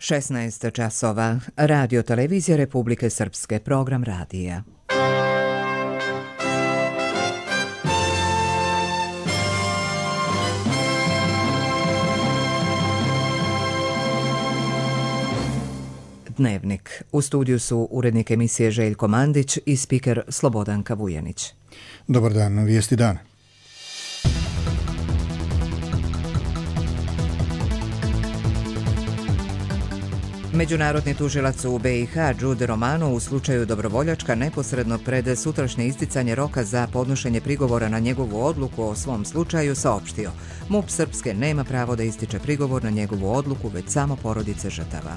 16 časova. Radio televizija Republike Srpske. Program radija. Dnevnik. U studiju su urednik emisije Željko Mandić i spiker Slobodanka Vujanić. Dobar dan, vijesti dana. Međunarodni tužilac u BiH Đude Romano u slučaju Dobrovoljačka neposredno pred sutrašnje isticanje roka za podnošenje prigovora na njegovu odluku o svom slučaju saopštio: MUP Srpske nema pravo da ističe prigovor na njegovu odluku, već samo porodice žrtava.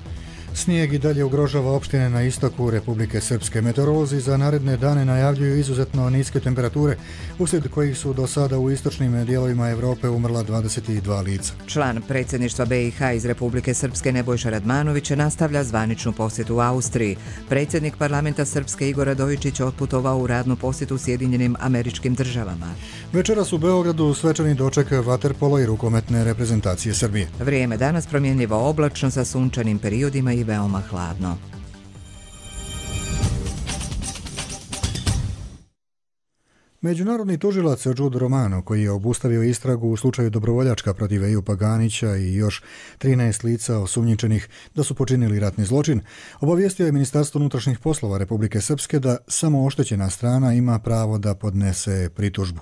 Snijeg i dalje ugrožava opštine na istoku Republike Srpske. Meteorolozi za naredne dane najavljuju izuzetno niske temperature, uslijed kojih su do sada u istočnim dijelovima Europe umrla 22 lica. Član predsjedništva BiH iz Republike Srpske Nebojša Radmanović nastavlja zvaničnu posjetu u Austriji. Predsjednik parlamenta Srpske Igor Radojičić otputovao u radnu posjetu Sjedinjenim Američkim Državama. Večeras u Beogradu svečani doček vaterpolo i rukometne reprezentacije Srbije. Vrijeme danas promjenljivo oblačno sa sunčanim periodima i veoma hladno. Međunarodni tužilac Đude Romano, koji je obustavio istragu u slučaju Dobrovoljačka protiv Ejupa Ganića i još 13 lica osumnjičenih da su počinili ratni zločin, obavijestio je Ministarstvo unutrašnjih poslova Republike Srpske da samo oštećena strana ima pravo da podnese pritužbu.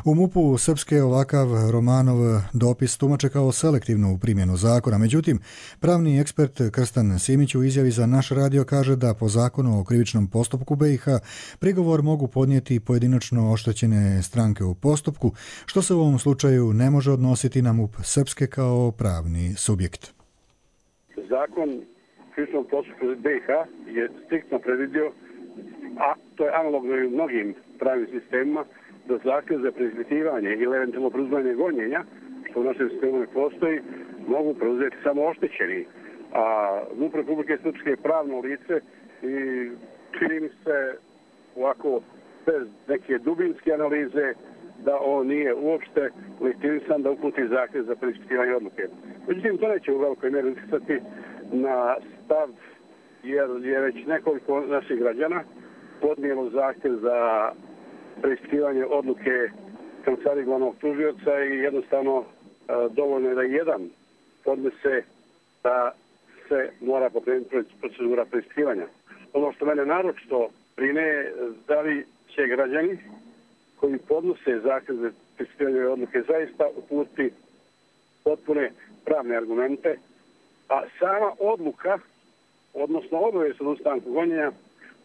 U MUP-u Srpske ovakav Romanov dopis tumače kao selektivnu primjenu zakona. Međutim, pravni ekspert Krstan Simić u izjavi za naš radio kaže da po zakonu o krivičnom postupku BiH prigovor mogu podnijeti pojedinačno oštećene stranke u postupku, što se u ovom slučaju ne može odnositi na MUP Srpske kao pravni subjekt. Zakon o krivičnom postupku BiH je striktno predvidio, a to je analogno i u mnogim pravnim sistemima, da zahtjev za preispitivanje ili eventualno preuzimanje gonjenja, što u našem sistemu ne postoji, mogu preuzeti samo oštećeni. A MUP Republike Srpske je pravno lice i čini mi se ovako bez neke dubinske analize da on nije uopšte legitimisan da uputi zahtjev za preispitivanje odluke. Međutim, to neće u velikoj mjeri utjecati na stav, jer je već nekoliko naših građana podnijelo zahtjev za preispitivanje odluke kancelarije glavnog tužioca i jednostavno dovoljno je da jedan podnese da se mora pokrenuti procedura preispitivanja. Ono što mene naročito brine, da li će građani koji podnose zahtjev za preispitivanje odluke zaista uputiti potpune pravne argumente, a sama odluka, odnosno obavijest o odustanku gonjenja,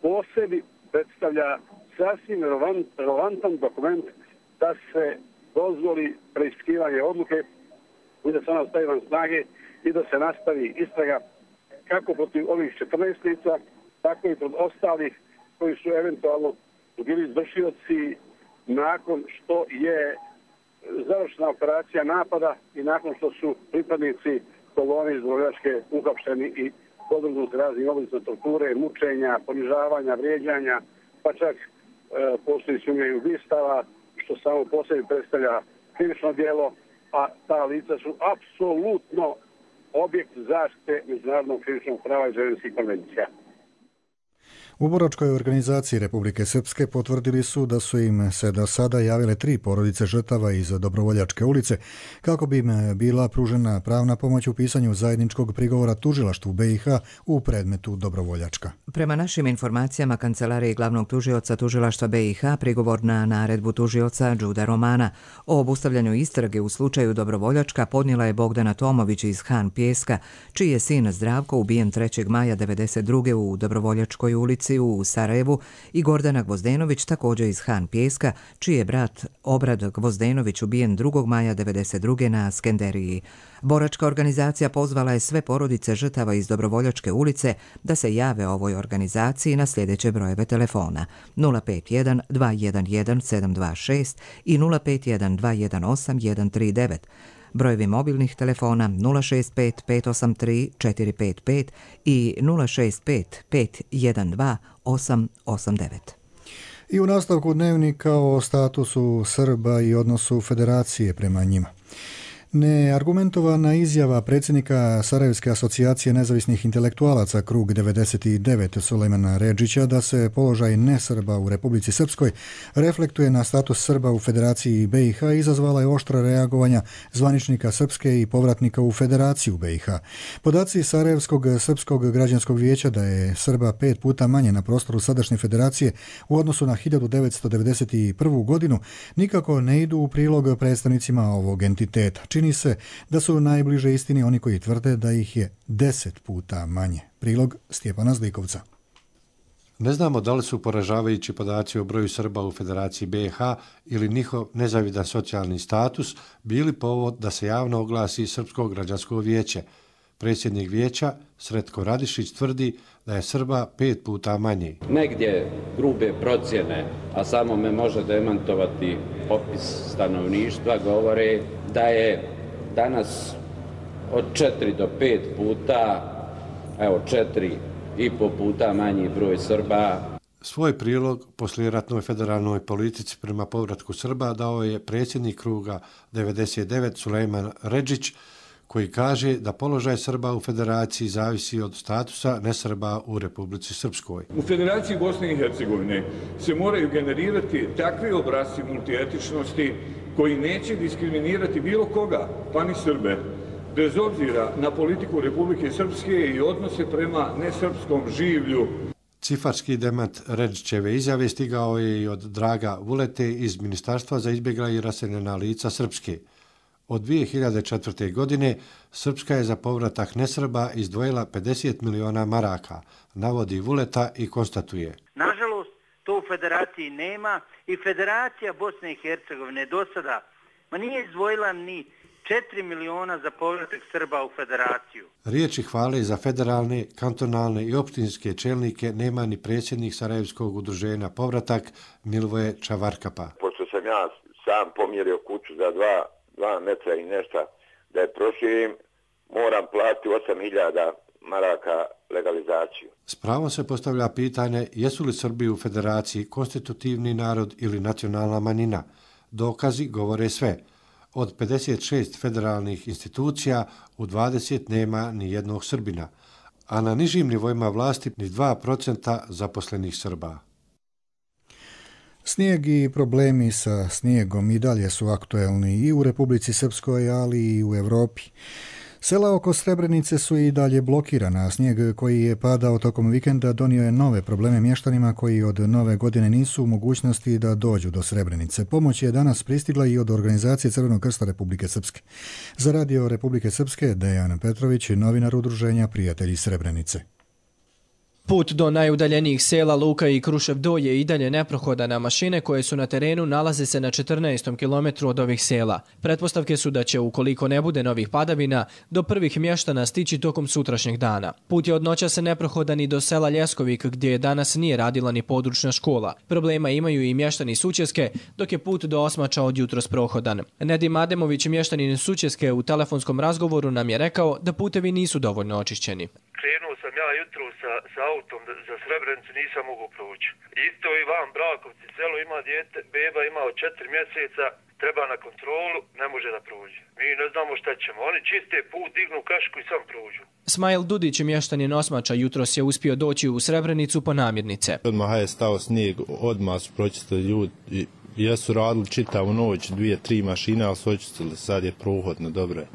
po sebi predstavlja sasvim relevantan dokument da se dozvoli preispitivanje odluke i da se ona stavi van snage i da se nastavi istraga kako protiv ovih 14 lica, tako i protiv ostalih koji su eventualno bili izvršioci nakon što je završena operacija napada i nakon što su pripadnici kolone iz Dobrovoljačke uhapšeni i podvrgnuti raznim oblicima torture, mučenja, ponižavanja, vrijeđanja, pa čak postoji sumnja i ubistava, što samo po sebi predstavlja krivično djelo, a ta lica su apsolutno objekt zaštite međunarodnog krivičnog prava i ženevskih konvencija. U boračkoj organizaciji Republike Srpske potvrdili su da su im se do sada javile 3 porodice žrtava iz Dobrovoljačke ulice kako bi im bila pružena pravna pomoć u pisanju zajedničkog prigovora tužilaštvu BiH u predmetu Dobrovoljačka. Prema našim informacijama kancelarije glavnog tužioca tužilaštva BiH prigovor na naredbu tužioca Đude Romana o obustavljanju istrage u slučaju Dobrovoljačka podnijela je Bogdana Tomović iz Han Pjeska, čiji je sin Zdravko ubijen 3. maja 1992. u Dobrovoljačkoj ulici u Sarajevu, i Gordana Gvozdenović također iz Han Pjeska, čiji je brat Obrad Gvozdenović ubijen 2. maja 1992. na Skenderiji. Boračka organizacija pozvala je sve porodice žrtava iz Dobrovoljačke ulice da se jave ovoj organizaciji na sljedeće brojeve telefona: 051 211 726 i 051 218 139. Brojevi mobilnih telefona 065 583 455 i 065 512 889. I u nastavku dnevnika o statusu Srba i odnosu Federacije prema njima. Neargumentovana izjava predsjednika Sarajevske asocijacije nezavisnih intelektualaca Krug 99 Sulejmana Redžića da se položaj nesrba u Republici Srpskoj reflektuje na status Srba u Federaciji BiH izazvala je oštra reagovanja zvaničnika Srpske i povratnika u Federaciju BiH. Podaci Sarajevskog Srpskog građanskog vijeća da je Srba 5 puta manje na prostoru sadašnje federacije u odnosu na 1991. godinu nikako ne idu u prilog predstavnicima ovog entiteta. Čini se da su najbliže istini oni koji tvrde da ih je 10 puta manje. Prilog Stjepana Zlikovca. Ne znamo da li su poražavajući podaci o broju Srba u Federaciji BiH ili njihov nezavidan socijalni status bili povod da se javno oglasi Srpsko građansko vijeće. Predsjednik vijeća Sretko Radišić tvrdi da je Srba 5 puta manje. Negdje grube procjene, a samo me može demantovati popis stanovništva, govore da je danas od 4 do 5 puta, 4,5 puta manji broj Srba. Svoj prilog poslijeratnoj federalnoj politici prema povratku Srba dao je predsjednik Kruga 99 Sulejman Redžić, koji kaže da položaj Srba u federaciji zavisi od statusa nesrba u Republici Srpskoj. U Federaciji Bosne i Hercegovine se moraju generirati takvi obrasci multietičnosti koji neće diskriminirati bilo koga, pa ni Srbe, bez obzira na politiku Republike Srpske i odnose prema nesrpskom življu. Cifarski demant Redžićeve izjave stigao je i od Draga Vulete iz Ministarstva za izbjegla i raseljena lica Srpske. Od 2004. godine Srpska je za povratak nesrba izdvojila 50 miliona maraka, navodi Vuleta i konstatuje. Nažalost, to u federaciji nema i Federacija Bosne i Hercegovine do sada nije izdvojila ni 4 miliona za povratak Srba u federaciju. Riječi hvale za federalne, kantonalne i opštinske čelnike nema ni predsjednik Sarajevskog udruženja Povratak Milvoje Čavarkapa. Pošto sam ja sam pomjerio kuću za 2 metra i nešto da je proširim, moram platiti 8.000 maraka legalizaciju. S pravom se postavlja pitanje jesu li Srbi u federaciji konstitutivni narod ili nacionalna manjina. Dokazi govore sve. Od 56 federalnih institucija u 20 nema ni jednog Srbina, a na nižim nivoima vlasti ni 2% zaposlenih Srba. Snijeg i problemi sa snijegom i dalje su aktuelni i u Republici Srpskoj, ali i u Europi. Sela oko Srebrenice su i dalje blokirana, a snijeg koji je padao tokom vikenda donio je nove probleme mještanima koji od nove godine nisu u mogućnosti da dođu do Srebrenice. Pomoć je danas pristigla i od organizacije Crvenog krsta Republike Srpske. Za radio Republike Srpske Dejan Petrović, novinar udruženja Prijatelji Srebrenice. Put do najudaljenijih sela Luka i Krušev Do je i dalje neprohodan, a mašine koje su na terenu nalaze se na 14. kilometru od ovih sela. Pretpostavke su da će, ukoliko ne bude novih padavina, do prvih mještana stići tokom sutrašnjeg dana. Put je od noća se neprohodan i do sela Ljeskovik, gdje danas nije radila ni područna škola. Problema imaju i mještani Sućeske, dok je put do Osmača od jutros prohodan. Nedim Ademović, mještanin Sućeske, u telefonskom razgovoru nam je rekao da putevi nisu dovoljno očišćeni. Krenuo sam ja jutro sa autom za Srebrenicu, nisam mogao proći. Isto i vam Brakovci, selo ima dijete, beba ima od 4 mjeseca, treba na kontrolu, ne može da prođe. Mi ne znamo šta ćemo, oni čiste put, dignu kašku i sam prođu. Smajl Dudić, mještanin Osmača, jutros je uspio doći u Srebrenicu po namirnice. Odmah je stao snijeg, odmah su pročistili ljudi. Jesu radili čitavu noć, 2-3 mašine, ali su očistili, sad je prohodno, dobro je.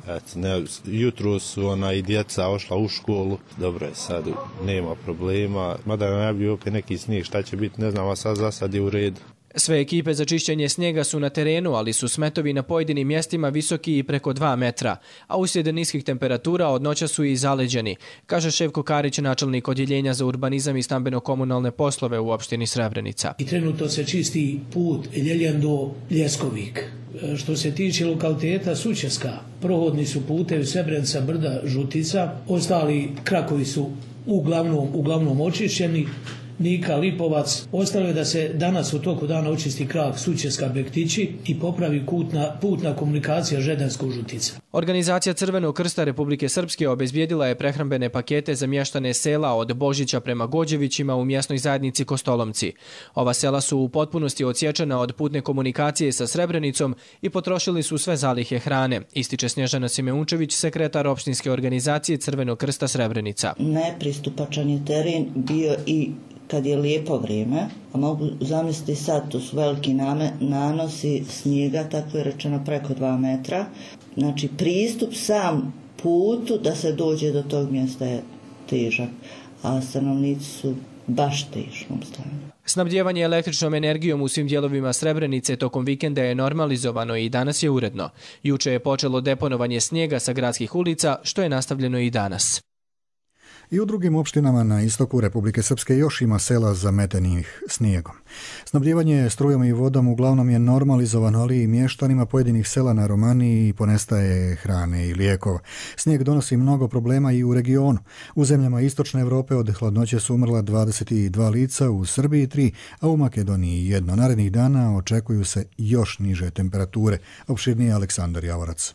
Jutro su i djeca ošla u školu, dobro je, sad nema problema. Mada je najbolji opet neki snijeg, šta će biti, ne znam, a sad za sad je u redu. Sve ekipe za čišćenje snijega su na terenu, ali su smetovi na pojedinim mjestima visoki i preko 2 metra, a uslijed niskih temperatura od noća su i zaleđeni, kaže Ševko Karić, načelnik odjeljenja za urbanizam i stambeno-komunalne poslove u opštini Srebrenica. I trenutno se čisti put Ljiljan do Ljeskovik. Što se tiče lokaliteta Sućeska, prohodni su putevi Srebrenica, Brda, Žutica, ostali krakovi su uglavnom očišćeni. Nika, Lipovac. Ostalo je da se danas u toku dana očisti krak Sućeska, Bektići i popravi putna komunikacija Žedensko-Žutica. Organizacija Crvenog krsta Republike Srpske obezbijedila je prehrambene pakete za mještane sela od Božića prema Gođevićima u mjesnoj zajednici Kostolomci. Ova sela su u potpunosti odsječena od putne komunikacije sa Srebrenicom i potrošili su sve zalihe hrane, ističe Snježana Simeunčević, sekretar opštinske organizacije Crvenog krsta Srebrenica. Nepristupačan je teren bio i kad je lijepo vrijeme, a mogu zamisliti sad, to su veliki nanosi snijega, tako je rečeno preko 2 metra. Znači pristup sam putu da se dođe do tog mjesta je težak, a stanovnici su baš teškom stanju. Snabdijevanje električnom energijom u svim dijelovima Srebrenice tokom vikenda je normalizovano i danas je uredno. Juče je počelo deponovanje snijega sa gradskih ulica, što je nastavljeno i danas. I u drugim opštinama na istoku Republike Srpske još ima sela zametenih snijegom. Snabdijevanje strujom i vodom uglavnom je normalizovano, ali i mještanima pojedinih sela na Romaniji ponestaje hrane i lijekova. Snijeg donosi mnogo problema i u regionu. U zemljama istočne Europe od hladnoće su umrla 22 lica, u Srbiji 3, a u Makedoniji 1. Narednih dana očekuju se još niže temperature. Opširnije Aleksandar Javorac.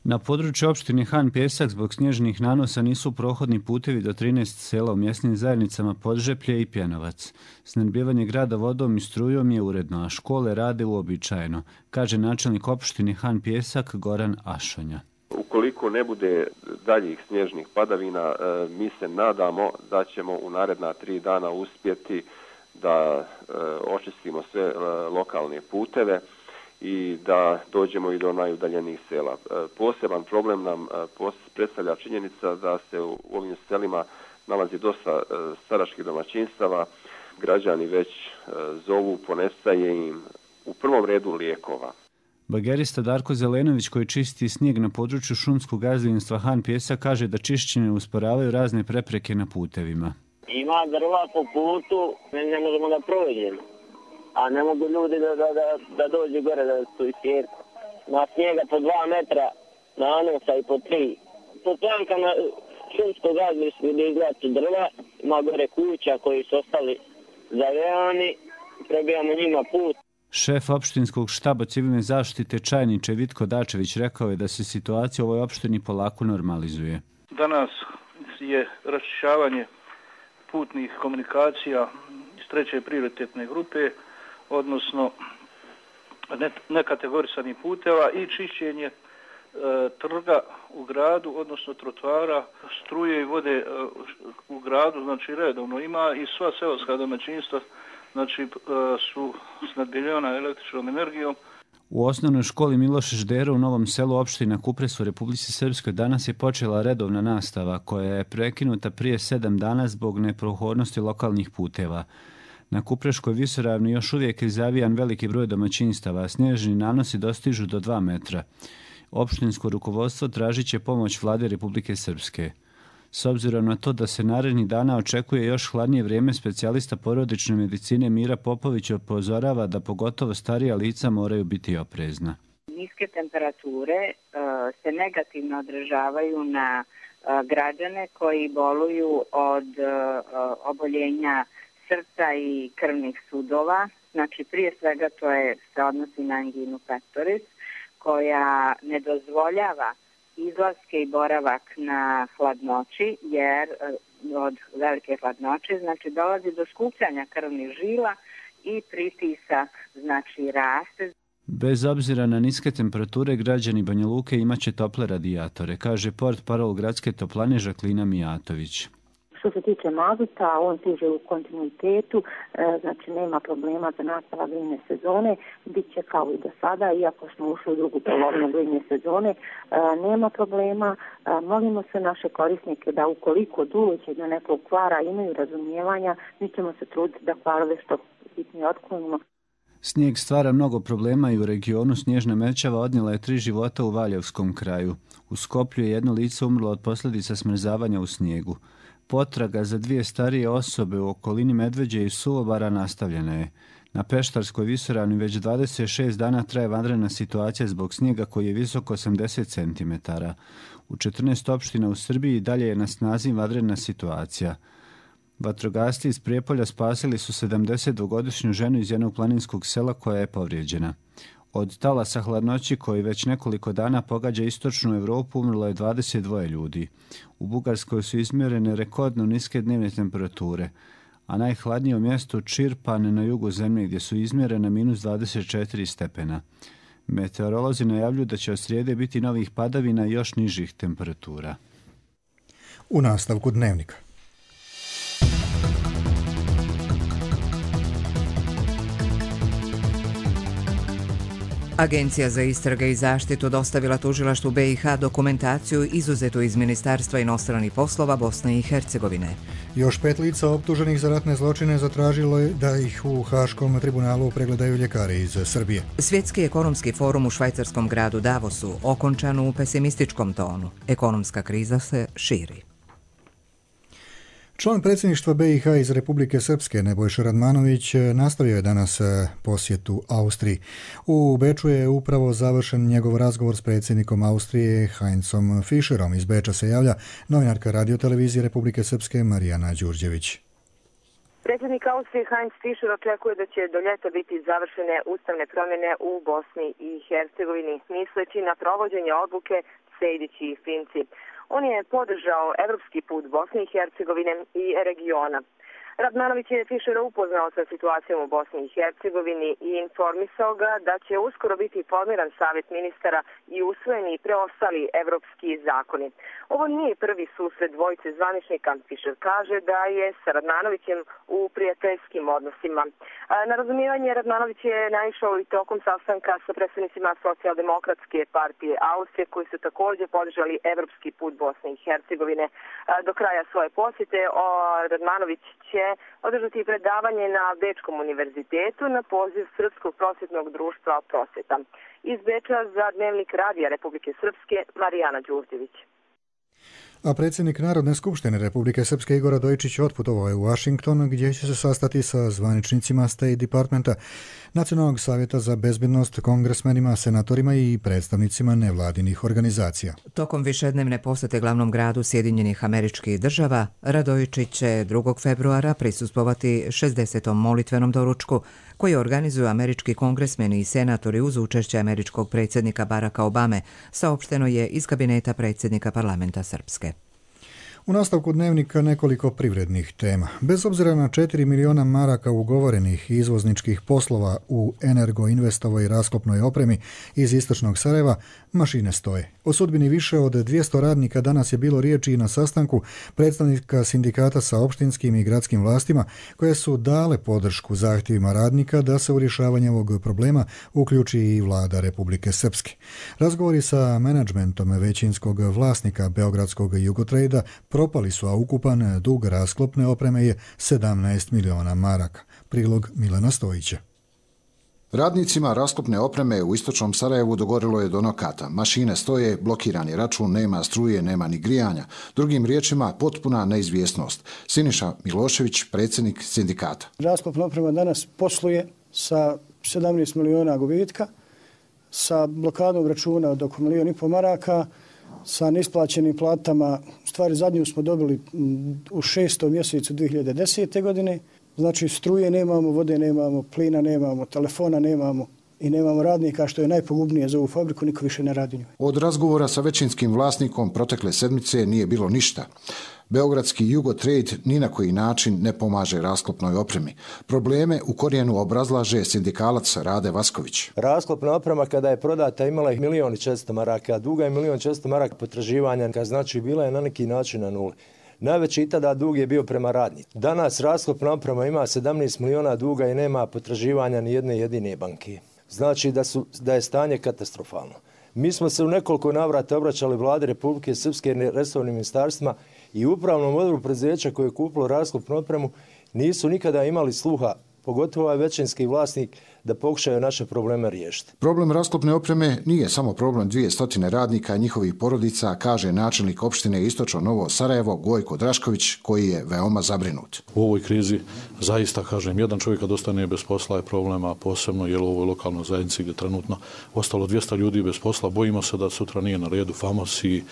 Na području opštine Han Pjesak zbog snježnih nanosa nisu prohodni putevi do 13 sela u mjesnim zajednicama Podžeplje i Pjenovac. Snabdijevanje grada vodom i strujom je uredno, a škole rade uobičajeno, kaže načelnik opštine Han Pjesak Goran Ašonja. Ukoliko ne bude daljih snježnih padavina, mi se nadamo da ćemo u naredna 3 dana uspjeti da očistimo sve lokalne puteve i da dođemo i do najudaljenijih sela. Poseban problem nam predstavlja činjenica da se u ovim selima nalazi dosta staračkih domaćinstava. Građani već zovu, ponestaje im u prvom redu lijekova. Bagerista Darko Zelenović, koji čisti snijeg na području šumskog gazdinstva Han Pjesak, kaže da čišćenje usporavaju razne prepreke na putevima. Ima drva po putu, ne možemo da prođemo. A ne mogu ljudi da dođu gore da su isjerku. Na snijega po 2 metra, nanosa i po 3. Po plankama šumskog gazdinstva gdje izgledaju drva, ima gore kuća koji su ostali zavejani, prebijamo njima put. Šef opštinskog štaba civilne zaštite Čajniče Vitko Dačević rekao je da se situacija u ovoj opštini polako normalizuje. Danas je raščišćavanje putnih komunikacija iz 3. prioritetne grupe, odnosno nekategorisanih puteva i čišćenje trga u gradu, odnosno trotoara, struje i vode u gradu, znači redovno ima i sva seoska domaćinstva znači su snabdijevana električnom energijom. U osnovnoj školi Miloš Ždero u Novom Selu opština Kupres u Republici Srpskoj danas je počela redovna nastava koja je prekinuta prije 7 dana zbog neprohodnosti lokalnih puteva. Na Kupreškoj visoravni još uvijek je zavijan veliki broj domaćinstava, a snježni nanosi dostižu do 2 metra. Opštinsko rukovodstvo tražit će pomoć vlade Republike Srpske. S obzirom na to da se narednih dana očekuje još hladnije vrijeme, specijalista porodične medicine Mira Popović upozorava da pogotovo starija lica moraju biti oprezna. Niske temperature se negativno odražavaju na građane koji boluju od oboljenja srca i krvnih sudova. Znači prije svega se odnosi na anginu pectoris koja ne dozvoljava izlaske i boravak na hladnoći, jer od velike hladnoće znači dolazi do skupljanja krvnih žila i pritisak znači raste. Bez obzira na niske temperature, građani Banja Luke imaće tople radijatore, kaže portparol gradske toplane Žaklina Mijatović. Što se tiče mazuta, on stiže u kontinuitetu, znači nema problema za nastavak grejne sezone, bit će kao i do sada, iako smo ušli u drugu polovinu grejne sezone, nema problema. Molimo se naše korisnike da ukoliko dođe do nekog kvara imaju razumijevanja, mi ćemo se truditi da kvarove što bitnije otklonimo. Snijeg stvara mnogo problema i u regionu. Snježna mećava odnijela je 3 života u Valjevskom kraju. U Skoplju je 1 lice umrlo od posljedica smrzavanja u snijegu. Potraga za 2 starije osobe u okolini Medveđe i Suvobara nastavljena je. Na Peštarskoj visoravni već 26 dana traje vanredna situacija zbog snijega koji je visok 80 cm. U 14 opština u Srbiji dalje je na snazi vanredna situacija. Vatrogasci iz Prijepolja spasili su 72-godišnju ženu iz jednog planinskog sela koja je povrijeđena. Od talasa hladnoći koji već nekoliko dana pogađa istočnu Europu umrlo je 22 ljudi. U Bugarskoj su izmjerene rekordno niske dnevne temperature, a najhladnije u mjestu Čirpan na jugu zemlje gdje su izmjerene minus 24 stepena. Meteorolozi najavljuju da će od srijede biti novih padavina i još nižih temperatura. U nastavku dnevnika. Agencija za istrage i zaštitu dostavila tužilaštvu BiH dokumentaciju izuzetu iz Ministarstva inostranih poslova Bosne i Hercegovine. Još 5 lica optuženih za ratne zločine zatražilo je da ih u Haškom tribunalu pregledaju ljekari iz Srbije. Svjetski ekonomski forum u švajcarskom gradu Davosu okončan u pesimističkom tonu. Ekonomska kriza se širi. Član predsjedništva BiH iz Republike Srpske Nebojša Radmanović nastavio je danas posjetu Austriji. U Beču je upravo završen njegov razgovor s predsjednikom Austrije Heinzom Fischerom. Iz Beča se javlja novinarka radiotelevizije Republike Srpske Marijana Đurđević. Predsjednik Austrije Heinz Fischer očekuje da će do ljeta biti završene ustavne promjene u Bosni i Hercegovini. Misleći na provođenje odluke Sejdić i Finci. On je podržao evropski put Bosne i Hercegovine i regiona. Radmanović je Fischera upoznao sa situacijom u Bosni i Hercegovini i informisao ga da će uskoro biti formiran savjet ministara i usvojeni preostali evropski zakoni. Ovo nije prvi susret dvojice zvaničnika. Fischer kaže da je sa Radmanovićem u prijateljskim odnosima. Na razumijevanje Radmanović je naišao i tokom sastanka sa predstavnicima Socijaldemokratske partije Austrije koji su također podržali evropski put Bosne i Hercegovine. Do kraja svoje posjete Radmanović će održati predavanje na Bečkom univerzitetu na poziv Srpskog prosvjetnog društva Prosvjeta. Iz Beča za Dnevnik Radija Republike Srpske Marijana Đurđević. A predsjednik Narodne skupštine Republike Srpske Igor Radojičić otputovao je u Washington gdje će se sastati sa zvaničnicima State Departmenta, Nacionalnog savjeta za bezbednost, kongresmenima, senatorima i predstavnicima nevladinih organizacija. Tokom višednevne posjete glavnom gradu Sjedinjenih Američkih Država, Radojičić će 2. februara prisustvovati 60. molitvenom doručku koji organizuju američki kongresmeni i senatori uz učešće američkog predsjednika Baracka Obame, saopšteno je iz kabineta predsjednika parlamenta Srpske. U nastavku dnevnika nekoliko privrednih tema. Bez obzira na 4 miliona maraka ugovorenih izvozničkih poslova u energoinvestovoj rasklopnoj opremi iz istočnog Sarajeva, mašine stoje. O sudbini više od 200 radnika danas je bilo riječi i na sastanku predstavnika sindikata sa opštinskim i gradskim vlastima koje su dale podršku zahtjevima radnika da se u rješavanje ovog problema uključi i vlada Republike Srpske. Razgovori sa menadžmentom većinskog vlasnika Beogradskog Jugotrejda propali su, a ukupan dug rasklopne opreme je 17 miliona maraka. Prilog Milana Stojića. Radnicima rasklopne opreme u istočnom Sarajevu dogorilo je do nokata. Mašine stoje, blokirani račun, nema struje, nema ni grijanja. Drugim riječima, potpuna neizvjesnost. Siniša Milošević, predsjednik sindikata. Rasklopna oprema danas posluje sa 17 miliona gubitka, sa blokadom računa od oko 1,5 miliona maraka, sa neisplaćenim platama. Stvari zadnju smo dobili u 6. mjesecu 2010. godine. Znači struje nemamo, vode nemamo, plina nemamo, telefona nemamo i nemamo radnika, što je najpogubnije za ovu fabriku, niko više ne radi njoj. Od razgovora sa većinskim vlasnikom protekle sedmice nije bilo ništa. Beogradski Jugotrade ni na koji način ne pomaže rasklopnoj opremi. Probleme u korijenu obrazlaže sindikalac Rade Vasković. Rasklopna oprema kada je prodata imala je 1.400.000 maraka, duga je 1.400.000 maraka potraživanja, znači bila je na neki način na nuli. Najveći tada dug je bio prema radniku. Danas rasklopna oprema ima 17 miliona duga i nema potraživanja ni jedne jedine banke. Znači da je stanje katastrofalno. Mi smo se u nekoliko navrata obraćali vladi Republike Srpske resornim ministarstvima i upravnom odboru preduzeća koje je kupilo rasklopnu opremu nisu nikada imali sluha, pogotovo ovaj većinski vlasnik, da pokušaju naše probleme riješiti. Problem rasklopne opreme nije samo problem 200 radnika i njihovih porodica, kaže načelnik opštine Istočno Novo Sarajevo Gojko Drašković, koji je veoma zabrinut. U ovoj krizi zaista, kažem, jedan čovjek kad ostane bez posla je problema, posebno jer u ovoj lokalnoj zajednici gdje trenutno ostalo 200 ljudi bez posla. Bojimo se da sutra nije na redu Famos i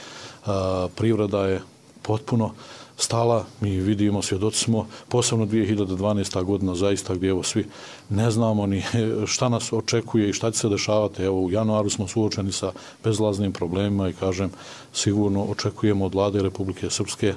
privreda je potpuno stala, mi vidimo, svjedoci smo, posebno 2012. godina zaista gdje evo svi ne znamo ni šta nas očekuje i šta će se dešavati. Evo u januaru smo suočeni sa bezlaznim problemima i kažem sigurno očekujemo od vlade Republike Srpske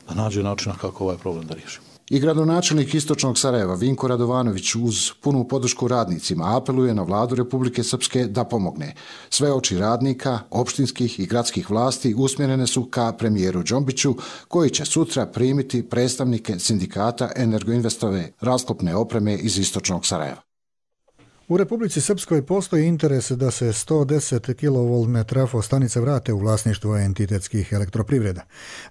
da nađe načina kako ovaj problem da riješi. I gradonačelnik Istočnog Sarajeva Vinko Radovanović uz punu podršku radnicima apeluje na vladu Republike Srpske da pomogne. Sve oči radnika, opštinskih i gradskih vlasti usmjerene su ka premijeru Džombiću, koji će sutra primiti predstavnike sindikata Energoinvestove rasklopne opreme iz Istočnog Sarajeva. U Republici Srpskoj postoji interes da se 110 kV trafostanice vrate u vlasništvo entitetskih elektroprivreda.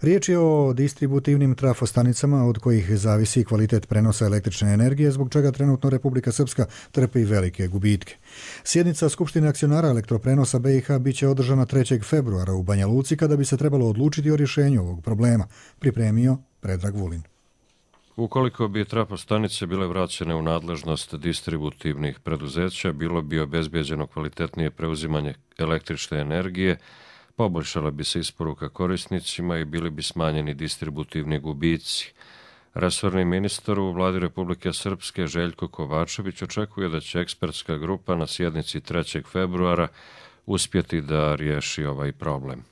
Riječ je o distributivnim trafostanicama od kojih zavisi kvalitet prenosa električne energije, zbog čega trenutno Republika Srpska trpi velike gubitke. Sjednica Skupštine akcionara elektroprenosa BiH biće održana 3. februara u Banja Luci, kada bi se trebalo odlučiti o rješenju ovog problema, pripremio Predrag Vulin. Ukoliko bi trafostanice bile vraćene u nadležnost distributivnih preduzeća, bilo bi obezbijeđeno kvalitetnije preuzimanje električne energije, poboljšala bi se isporuka korisnicima i bili bi smanjeni distributivni gubici. Resorni ministar u vladi Republike Srpske Željko Kovačević očekuje da će ekspertska grupa na sjednici 3. februara uspjeti da riješi ovaj problem.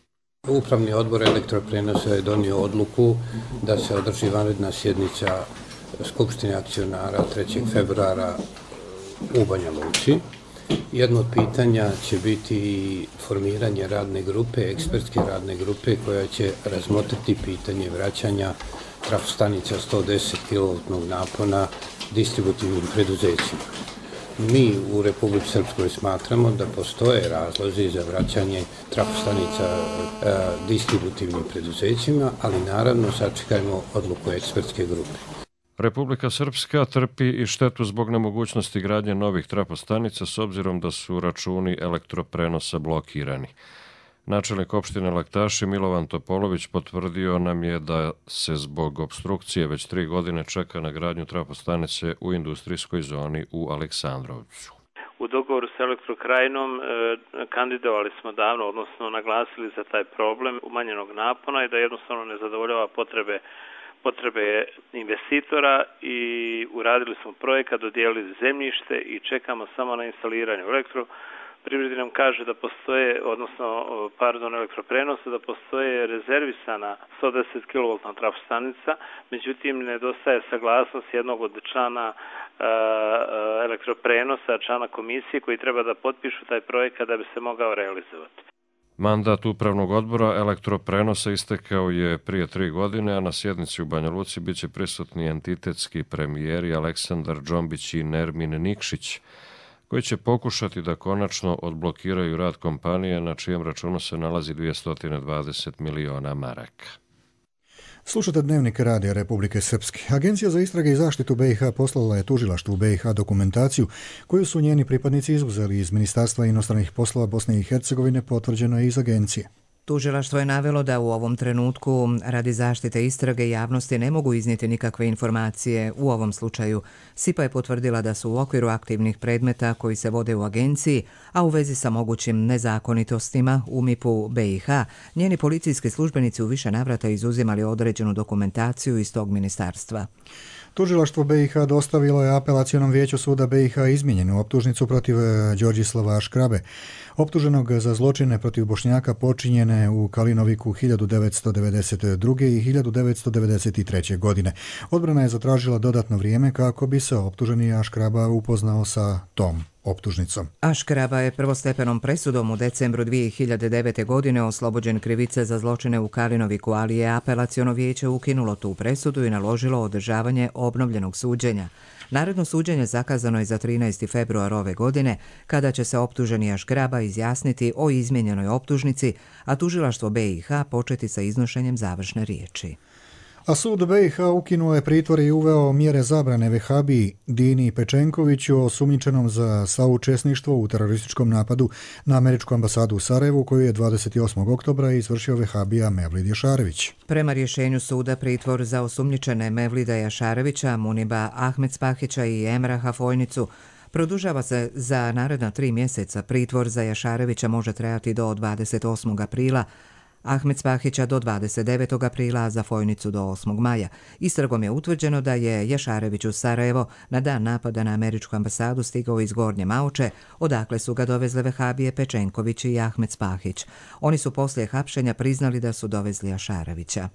Upravni odbor elektroprenosa je donio odluku da se održi vanredna sjednica Skupštine akcionara 3. februara u Banja Luci. Jedno od pitanja će biti formiranje radne grupe, ekspertske radne grupe koja će razmotriti pitanje vraćanja trafostanica 110 kV napona distributivnim preduzećima. Mi u Republici Srpskoj smatramo da postoje razlozi za vraćanje trafostanica distributivnim preduzećima, ali naravno sačekajmo odluku ekspertske grupe. Republika Srpska trpi i štetu zbog nemogućnosti gradnje novih trafostanica s obzirom da su računi elektroprenosa blokirani. Načelnik opštine Laktaši Milovan Topolović potvrdio nam je da se zbog opstrukcije već 3 godine čeka na gradnju trafostanice u industrijskoj zoni u Aleksandrovcu. U dogovoru s Elektrokrajinom kandidovali smo davno, odnosno naglasili za taj problem umanjenog napona i da jednostavno ne zadovoljava potrebe investitora i uradili smo projekat, dodijelili zemljište i čekamo samo na instaliranje Elektroprivredi nam kaže da postoje, elektroprenosa, da postoje rezervisana 110 kV trafostanica, međutim nedostaje saglasnost jednog od člana elektroprenosa, člana komisije koji treba da potpišu taj projekat da bi se mogao realizovati. Mandat upravnog odbora elektroprenosa istekao je prije 3 godine, a na sjednici u Banja Luci bit će prisutni entitetski premijeri Aleksandar Džombić i Nermin Nikšić, koji će pokušati da konačno odblokiraju rad kompanije na čijem računu se nalazi 220 miliona maraka. Slušate Dnevnik Radija Republike Srpske. Agencija za istrage i zaštitu BiH poslala je tužilaštvu BiH dokumentaciju koju su njeni pripadnici izuzeli iz Ministarstva inostranih poslova Bosne i Hercegovine, potvrđeno je iz agencije. Tužilaštvo je navelo da u ovom trenutku radi zaštite istrage javnosti ne mogu iznijeti nikakve informacije u ovom slučaju. SIPA je potvrdila da su u okviru aktivnih predmeta koji se vode u agenciji, a u vezi sa mogućim nezakonitostima u MIP-u BiH, njeni policijski službenici u više navrata izuzimali određenu dokumentaciju iz tog ministarstva. Tužilaštvo BiH dostavilo je apelacionom vijeću suda BiH izmijenjenu optužnicu protiv Đorđislava Aškrabe, optuženog za zločine protiv Bošnjaka počinjene u Kalinoviku 1992. i 1993. godine. Odbrana je zatražila dodatno vrijeme kako bi se optuženi Aškraba upoznao sa tom optužnicom. Aškraba je prvostepenom presudom u decembru 2009. godine oslobođen krivice za zločine u Kalinoviku, ali je apelaciono vijeće ukinulo tu presudu i naložilo održavanje obnovljenog suđenja. Naredno suđenje zakazano je za 13. februar ove godine, kada će se optuženi Aškraba izjasniti o izmijenjenoj optužnici, a tužilaštvo BiH početi sa iznošenjem završne riječi. A sud BiH ukinuo je pritvor i uveo mjere zabrane vehabiji Dini Pečenkoviću, osumnjičenom za saučesništvo u terorističkom napadu na američku ambasadu u Sarajevu, koju je 28. oktobra izvršio vehabija Mevlid Jašarević. Prema rješenju suda, pritvor za osumnjičene Mevlida Jašarevića, Muniba Ahmedspahića i Emraha Fojnicu produžava se za naredna 3 mjeseca. Pritvor za Jašarevića može trajati do 28. aprila, Ahmed Spahića do 29. aprila, a za Fojnicu do 8. maja. Istragom je utvrđeno da je Jašarević u Sarajevo na dan napada na američku ambasadu stigao iz Gornje Mauče, odakle su ga dovezle vehabije Pečenković i Ahmed Spahić. Oni su poslije hapšenja priznali da su dovezli Jašarevića.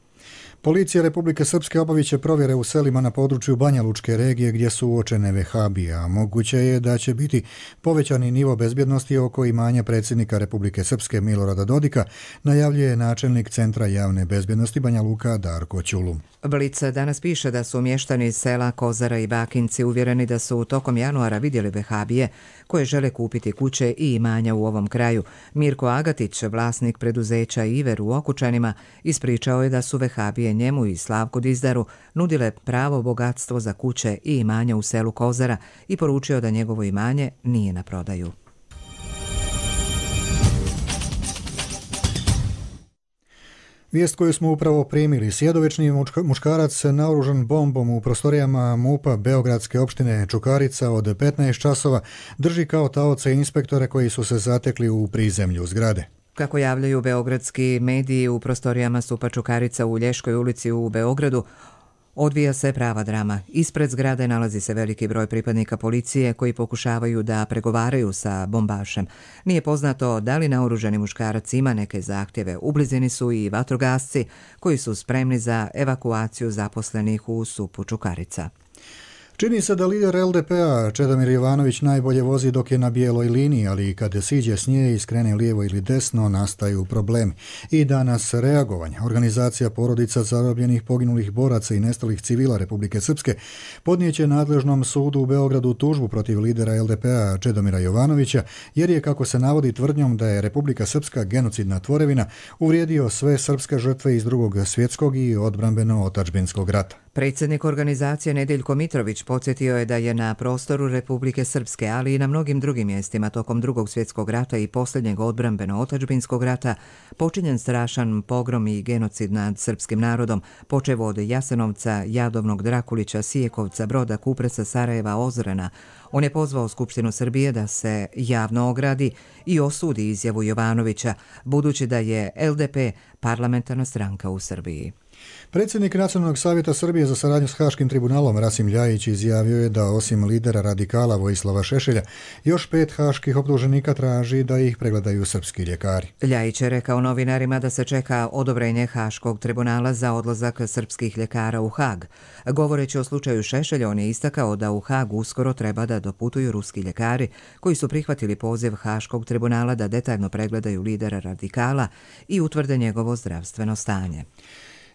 Policija Republike Srpske obavit će provjere u selima na području Banja Lučke regije gdje su uočene vehabije, a moguće je da će biti povećani nivo bezbjednosti oko imanja predsjednika Republike Srpske Milorada Dodika, najavljuje načelnik Centra javne bezbjednosti Banja Luka Darko Ćulum. Blic danas piše da su mještani iz sela Kozara i Bakinci uvjereni da su tokom januara vidjeli vehabije koje žele kupiti kuće i imanja u ovom kraju. Mirko Agatić, vlasnik preduzeća Iver u Okučanima, ispričao je da su vehabije njemu i Slavku Dizdaru nudile pravo bogatstvo za kuće i imanja u selu Kozara i poručio da njegovo imanje nije na prodaju. Vijest koju smo upravo primili, sjedovični muškarac naoružan bombom u prostorijama MUP-a Beogradske opštine Čukarica od 15 časova drži kao taoce inspektore koji su se zatekli u prizemlju zgrade. Kako javljaju beogradski mediji, u prostorijama Supa Čukarica u Lješkoj ulici u Beogradu odvija se prava drama. Ispred zgrade nalazi se veliki broj pripadnika policije koji pokušavaju da pregovaraju sa bombašem. Nije poznato da li naoružani muškarac ima neke zahtjeve. U blizini su i vatrogasci koji su spremni za evakuaciju zaposlenih u Supu Čukarica. Čini se da lider LDP-a Čedomir Jovanović najbolje vozi dok je na bijeloj liniji, ali kad siđe s nje i skrene lijevo ili desno, nastaju problemi. I danas reagovanje. Organizacija porodica zarobljenih poginulih boraca i nestalih civila Republike Srpske podnijeće nadležnom sudu u Beogradu tužbu protiv lidera LDP-a Čedomira Jovanovića, jer je, kako se navodi, tvrdnjom da je Republika Srpska genocidna tvorevina uvrijedio sve srpske žrtve iz Drugog svjetskog i odbrambeno-otadžbinskog rata. Predsjednik organizacije Nedeljko Mitrović podsjetio je da je na prostoru Republike Srpske, ali i na mnogim drugim mjestima tokom Drugog svjetskog rata i posljednjeg odbrambeno-otadžbinskog rata počinjen strašan pogrom i genocid nad srpskim narodom, počev od Jasenovca, Jadovnog, Drakulića, Sijekovca, Broda, Kupresa, Sarajeva, Ozrena. On je pozvao Skupštinu Srbije da se javno ogradi i osudi izjavu Jovanovića, budući da je LDP parlamentarna stranka u Srbiji. Predsjednik Nacionalnog savjeta Srbije za saradnju s Haškim tribunalom Rasim Ljajić izjavio je da osim lidera radikala Vojislava Šešelja, još 5 haških optuženika traži da ih pregledaju srpski ljekari. Ljajić je rekao novinarima da se čeka odobrenje Haškog tribunala za odlazak srpskih ljekara u Hag. Govoreći o slučaju Šešelja, on je istakao da u Hag uskoro treba da doputuju ruski ljekari koji su prihvatili poziv Haškog tribunala da detaljno pregledaju lidera radikala i utvrde njegovo zdravstveno stanje.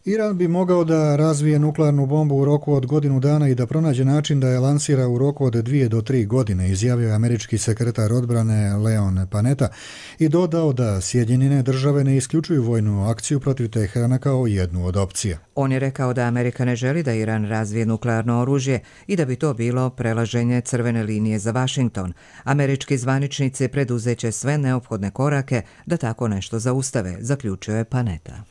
Iran bi mogao da razvije nuklearnu bombu u roku od godinu dana i da pronađe način da je lansira u roku od 2 do 3 godine, izjavio je američki sekretar odbrane Leon Panetta i dodao da Sjedinjene države ne isključuju vojnu akciju protiv Teherana kao jednu od opcija. On je rekao da Amerika ne želi da Iran razvije nuklearno oružje i da bi to bilo prelaženje crvene linije za Vašington. Američki zvaničnici preduzeće sve neophodne korake da tako nešto zaustave, zaključio je Panetta.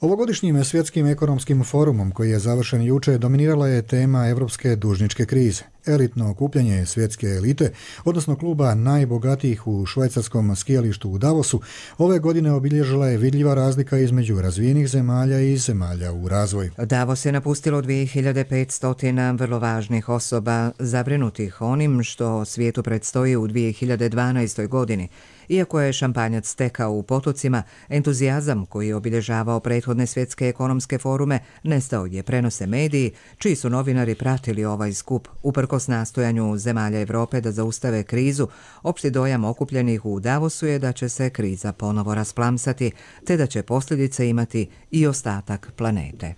Ovogodišnjim svjetskim ekonomskim forumom koji je završen juče dominirala je tema evropske dužničke krize. Elitno okupljanje svjetske elite, odnosno kluba najbogatijih u švajcarskom skijalištu u Davosu, ove godine obilježila je vidljiva razlika između razvijenih zemalja i zemalja u razvoju. Davos je napustilo 2500 vrlo važnih osoba zabrinutih onim što svijetu predstoji u 2012. godini. Iako je šampanjac tekao u potocima, entuzijazam koji je obilježavao prethodne svjetske ekonomske forume nestao je, prenose mediji, čiji su novinari pratili ovaj skup. Uprkos nastojanju zemalja Evrope da zaustave krizu, opšti dojam okupljenih u Davosu je da će se kriza ponovo rasplamsati, te da će posljedice imati i ostatak planete.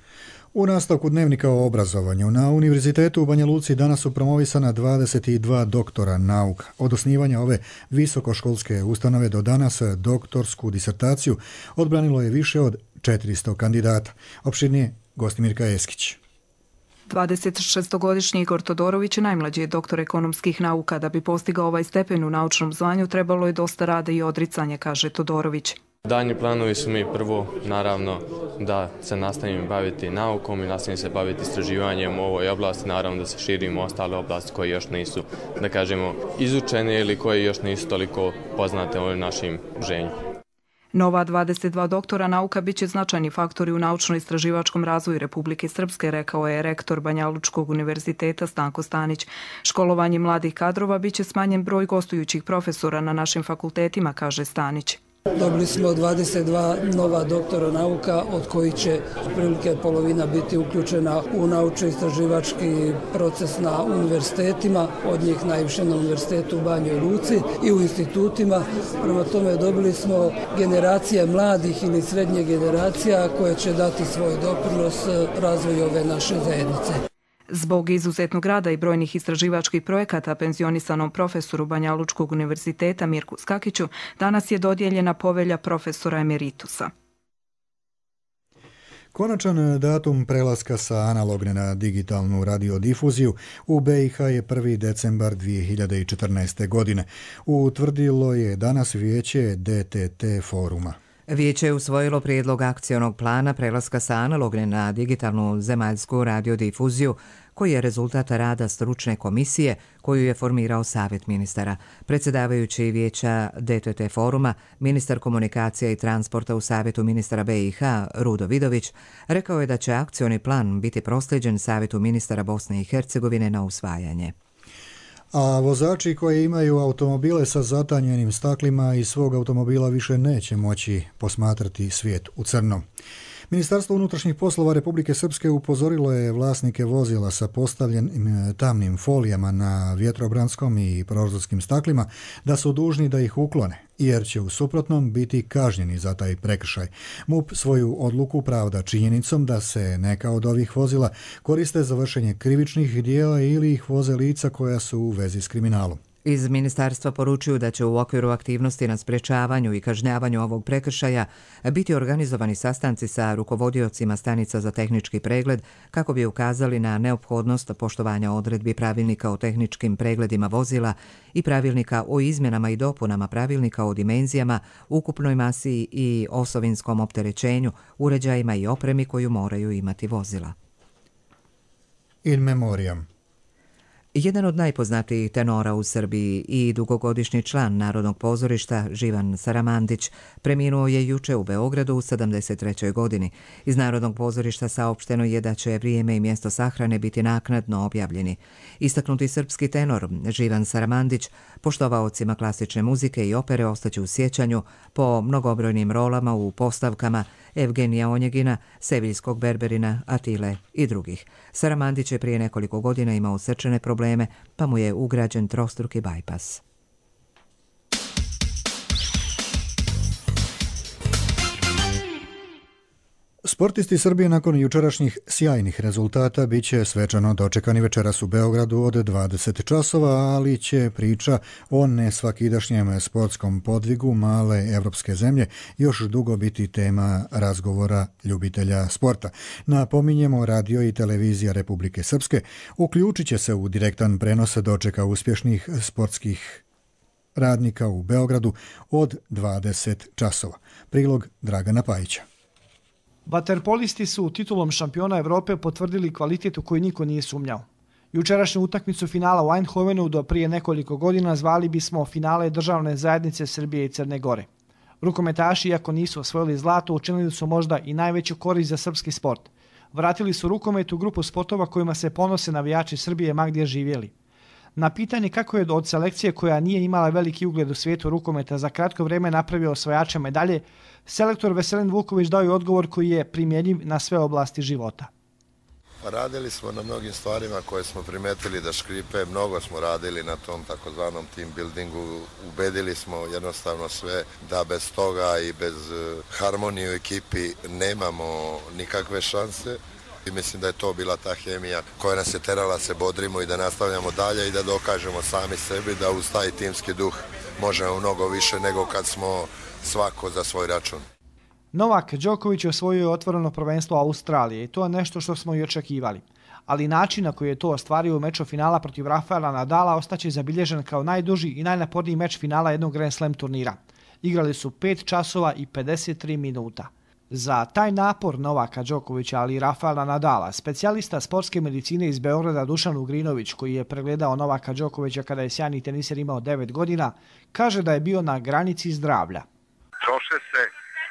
U nastavku dnevnika o obrazovanju na Univerzitetu u Banja Luci danas su promovisana 22 doktora nauka. Od osnivanja ove visokoškolske ustanove do danas doktorsku disertaciju odbranilo je više od 400 kandidata. Opširnije Gostimirka Eskić. 26-godišnji Igor Todorović, najmlađi je doktor ekonomskih nauka. Da bi postigao ovaj stepen u naučnom zvanju, trebalo je dosta rada i odricanja, kaže Todorović. Daljnji planovi su mi prvo, naravno, da se nastavim baviti naukom i nastavim se baviti istraživanjem u ovoj oblasti, naravno da se širimo u ostale oblasti koje još nisu, da kažemo, izučene ili koje još nisu toliko poznate u našim ženju. Nova 22 doktora nauka biće značajni faktori u naučno-istraživačkom razvoju Republike Srpske, rekao je rektor Banjalučkog univerziteta Stanko Stanić. Školovanje mladih kadrova biće smanjen broj gostujućih profesora na našim fakultetima, kaže Stanić. Dobili smo 22 nova doktora nauka, od kojih će otprilike polovina biti uključena u naučno-istraživački proces na univerzitetima, od njih najviše na univerzitetu u Banjoj Luci i u institutima. Prema tome dobili smo generacije mladih ili srednje generacija koje će dati svoj doprinos razvoju ove naše zajednice. Zbog izuzetnog rada i brojnih istraživačkih projekata penzionisanom profesoru Banjalučkog univerziteta Mirku Skakiću danas je dodijeljena povelja profesora emeritusa. Konačan datum prelaska sa analogne na digitalnu radiodifuziju u BiH je 1. decembar 2014. godine. Utvrdilo je danas vijeće DTT foruma. Vijeće je usvojilo prijedlog akcionog plana prelaska sa analogne na digitalnu zemaljsku radiodifuziju, koji je rezultat rada stručne komisije koju je formirao Savjet ministara. Predsjedavajući vijeća DTT foruma, ministar komunikacija i transporta u Savjetu ministara BiH, Rudo Vidović, rekao je da će akcioni plan biti proslijeđen Savjetu ministara Bosne i Hercegovine na usvajanje. A vozači koji imaju automobile sa zatanjenim staklima iz svog automobila više neće moći posmatrati svijet u crno. Ministarstvo unutrašnjih poslova Republike Srpske upozorilo je vlasnike vozila sa postavljenim tamnim folijama na vjetrobranskom i prozorskim staklima da su dužni da ih uklone, jer će u suprotnom biti kažnjeni za taj prekršaj. MUP svoju odluku pravda činjenicom da se neka od ovih vozila koriste za vršenje krivičnih dijela ili ih voze lica koja su u vezi s kriminalom. Iz ministarstva poručuju da će u okviru aktivnosti na sprečavanju i kažnjavanju ovog prekršaja biti organizovani sastanci sa rukovodiocima stanica za tehnički pregled kako bi ukazali na neophodnost poštovanja odredbi pravilnika o tehničkim pregledima vozila i pravilnika o izmjenama i dopunama pravilnika o dimenzijama, ukupnoj masi i osovinskom opterećenju, uređajima i opremi koju moraju imati vozila. In memoriam. Jedan od najpoznatijih tenora u Srbiji i dugogodišnji član Narodnog pozorišta, Živan Saramandić, preminuo je juče u Beogradu u 73. godini. Iz Narodnog pozorišta saopšteno je da će vrijeme i mjesto sahrane biti naknadno objavljeni. Istaknuti srpski tenor Živan Saramandić poštovaocima klasične muzike i opere ostaće u sjećanju po mnogobrojnim rolama u postavkama Evgenija Onjegina, Seviljskog Berberina, Atile i drugih. Saramandić je prije nekoliko godina imao srčane probleme, pa mu je ugrađen trostruki bajpas. Sportisti Srbije nakon jučerašnjih sjajnih rezultata bit će svečano dočekani večeras u Beogradu od 20 časova, ali će priča o nesvakidašnjem sportskom podvigu male evropske zemlje još dugo biti tema razgovora ljubitelja sporta. Napominjemo, radio i televizija Republike Srpske uključit će se u direktan prenos dočeka uspješnih sportskih radnika u Beogradu od 20 časova. Prilog Dragana Pajića. Vaterpolisti su titulom šampiona Evrope potvrdili kvalitet u koji niko nije sumnjao. Jučerašnju utakmicu finala u Eindhovenu do prije nekoliko godina zvali bismo finale državne zajednice Srbije i Crne Gore. Rukometaši, iako nisu osvojili zlato, učinili su možda i najveću korist za srpski sport. Vratili su rukomet u grupu sportova kojima se ponose navijači Srbije ma gdje živjeli. Na pitanje kako je od selekcije koja nije imala veliki ugled u svijetu rukometa za kratko vrijeme napravio osvajača medalje, selektor Veselin Vuković dao je odgovor koji je primjenjiv na sve oblasti života. Radili smo na mnogim stvarima koje smo primetili da škripe, mnogo smo radili na tom takozvanom team buildingu, ubedili smo jednostavno sve da bez toga i bez harmonije u ekipi nemamo nikakve šanse. I mislim da je to bila ta hemija koja nas je terala se bodrimo i da nastavljamo dalje i da dokažemo sami sebi da uz taj timski duh možemo mnogo više nego kad smo svako za svoj račun. Novak Đoković osvojio je otvoreno prvenstvo Australije i to je nešto što smo i očekivali. Ali način na koji je to ostvario u meču finala protiv Rafaela Nadala ostaće zabilježen kao najduži i najnaporniji meč finala jednog Grand Slam turnira. Igrali su 5 časova i 53 minuta. Za taj napor Novaka Đokovića, ali i Rafaela Nadala, specijalista sportske medicine iz Beograda Dušan Ugrinović, koji je pregledao Novaka Đokovića kada je sjajni teniser imao 9 godina, kaže da je bio na granici zdravlja. Troše se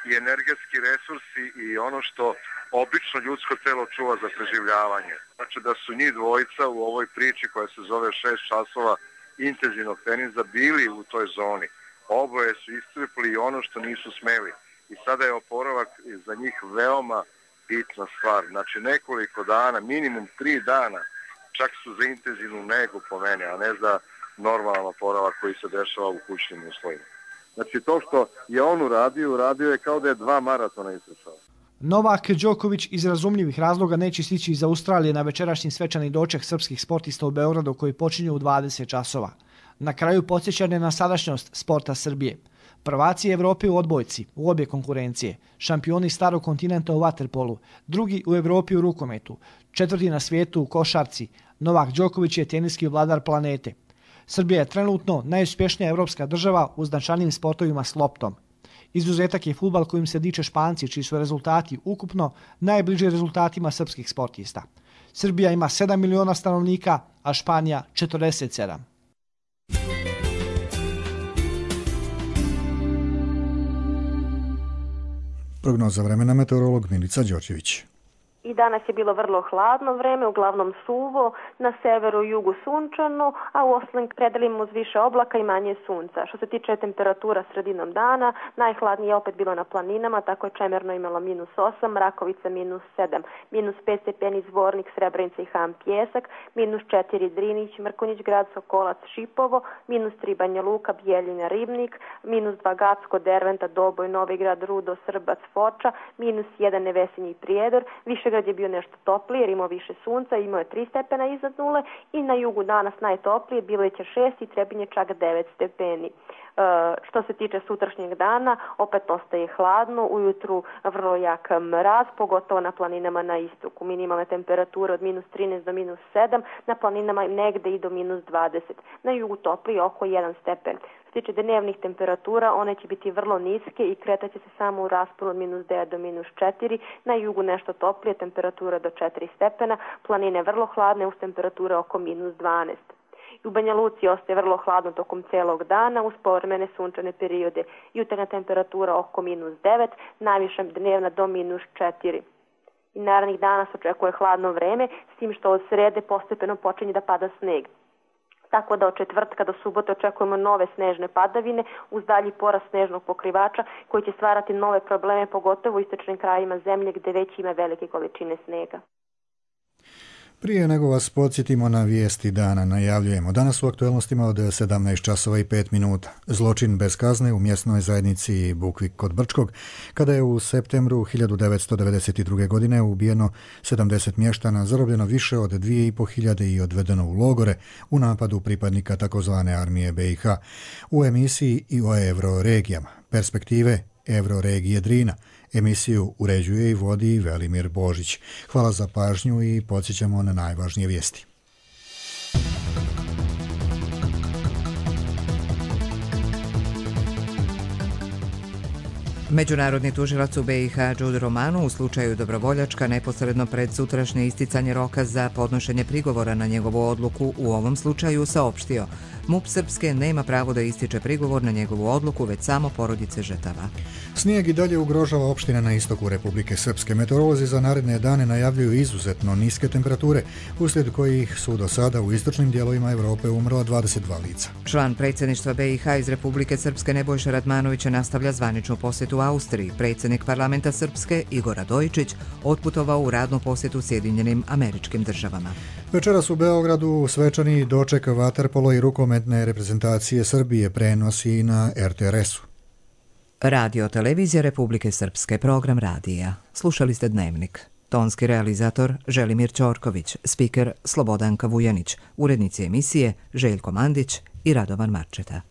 i energetski resursi i ono što obično ljudsko telo čuva za preživljavanje. Znači da su njih dvojica u ovoj priči koja se zove 6 časova intenzivnog tenisa bili u toj zoni. Oboje su iscrpili i ono što nisu smeli. I sada je oporavak za njih veoma bitna stvar. Znači nekoliko dana, minimum 3 dana, čak su za intenzivnu negu po mene, a ne za normalan oporavak koji se dešava u kućnim uslovima. Znači to što je on uradio je kao da je 2 maratona istrčao. Novak Đoković iz razumljivih razloga neće stići iz Australije na večerašnji svečani doček srpskih sportista u Beogradu koji počinju u 20 časova. Na kraju podsjećanje na sadašnjost sporta Srbije. Prvaci Evrope u odbojci, u obje konkurencije, šampioni starog kontinenta u vaterpolu, drugi u Evropi u rukometu, 4. na svijetu u košarci, Novak Đoković je teniski vladar planete. Srbija je trenutno najuspješnija evropska država u značajnim sportovima s loptom. Izuzetak je fudbal kojim se diče Španci, čiji su rezultati ukupno najbliži rezultatima srpskih sportista. Srbija ima 7 miliona stanovnika, a Španija 47. Prognoza vremena, meteorolog Milica Đorđević. I danas je bilo vrlo hladno vreme, uglavnom suvo, na severu i jugu sunčano, a u ostalim predelima uz više oblaka i manje sunca. Što se tiče temperatura sredinom dana, najhladnije je opet bilo na planinama, tako je Čemerno imalo -8, Rakovica -7, -5 stepeni Zvornik, Srebrenica i Ham Pjesak, -4 Drinić, Mrkonjić Grad, Sokolac, Šipovo, -3 Banja Luka, Bijeljina, Ribnik, -2 Gacko, Derventa, Doboj, Novi Grad, Rudo, Srbac, Foča, -1 Nevesinji i Prijedor, Višegrad je bio nešto toplije jer imao više sunca, imao je 3 stepena iznad nule i na jugu danas najtoplije, bilo je 6 i Trebinje čak 9 stepeni. Što se tiče sutrašnjeg dana, opet ostaje hladno, ujutru vrlo jak mraz, pogotovo na planinama na istoku. Minimalne temperature od -13 do -7, na planinama negde i do -20. Na jugu toplije oko 1 stepen. Što se tiče dnevnih temperatura, one će biti vrlo niske i kretat će se samo u rasponu od -9 do -4. Na jugu nešto toplije, temperatura do 4 stepena, planine vrlo hladne uz temperature oko -12. U Banja Luci ostaje vrlo hladno tokom celog dana uz povremene sunčane periode. Jutarnja temperatura oko -9, najviša dnevna do -4. I narednih dana se očekuje hladno vreme, s tim što od srede postepeno počinje da pada sneg. Tako da od četvrtka do subote očekujemo nove snežne padavine uz dalji porast snežnog pokrivača koji će stvarati nove probleme, pogotovo u istočnim krajima zemlje gde već ima velike količine snega. Prije nego vas podsjetimo na vijesti dana, najavljujemo danas u aktualnostima od 17 časova i 5 minuta. Zločin bez kazne u mjesnoj zajednici Bukvik kod Brčkog, kada je u septembru 1992. godine ubijeno 70 mještana, zarobljeno više od 2500 i odvedeno u logore u napadu pripadnika takozvane armije BiH. U emisiji i o euroregijama, perspektive Euroregije Drina. Emisiju uređuje i vodi Velimir Božić. Hvala za pažnju i podsjećamo na najvažnije vijesti. Međunarodni tužilac u BiH Đude Romanu u slučaju Dobrovoljačka neposredno pred sutrašnje isticanje roka za podnošenje prigovora na njegovu odluku u ovom slučaju saopštio: MUP Srpske nema pravo da ističe prigovor na njegovu odluku, već samo porodice žrtava. Snijeg i dalje ugrožava opštine na istoku Republike Srpske. Meteorolozi za naredne dane najavljuju izuzetno niske temperature, uslijed kojih su do sada u istočnim dijelovima Europe umrla 22 lica. Član predsjedništva BiH iz Republike Srpske Nebojša Radmanović nastavlja zvaničnu posjetu Austriji. Predsjednik parlamenta Srpske Igor Radojičić otputovao u radnu posjetu Sjedinjenim Američkim Državama. Večeras u Beogradu svečani doček vaterpolo i rukometne reprezentacije Srbije prenosi na RTRS-u. Radio Televizija Republike Srpske, program radija. Slušali ste Dnevnik. Tonski realizator Želimir Ćorković, spiker Slobodanka Vujanić, urednici emisije Željko Mandić i Radovan Marčeta.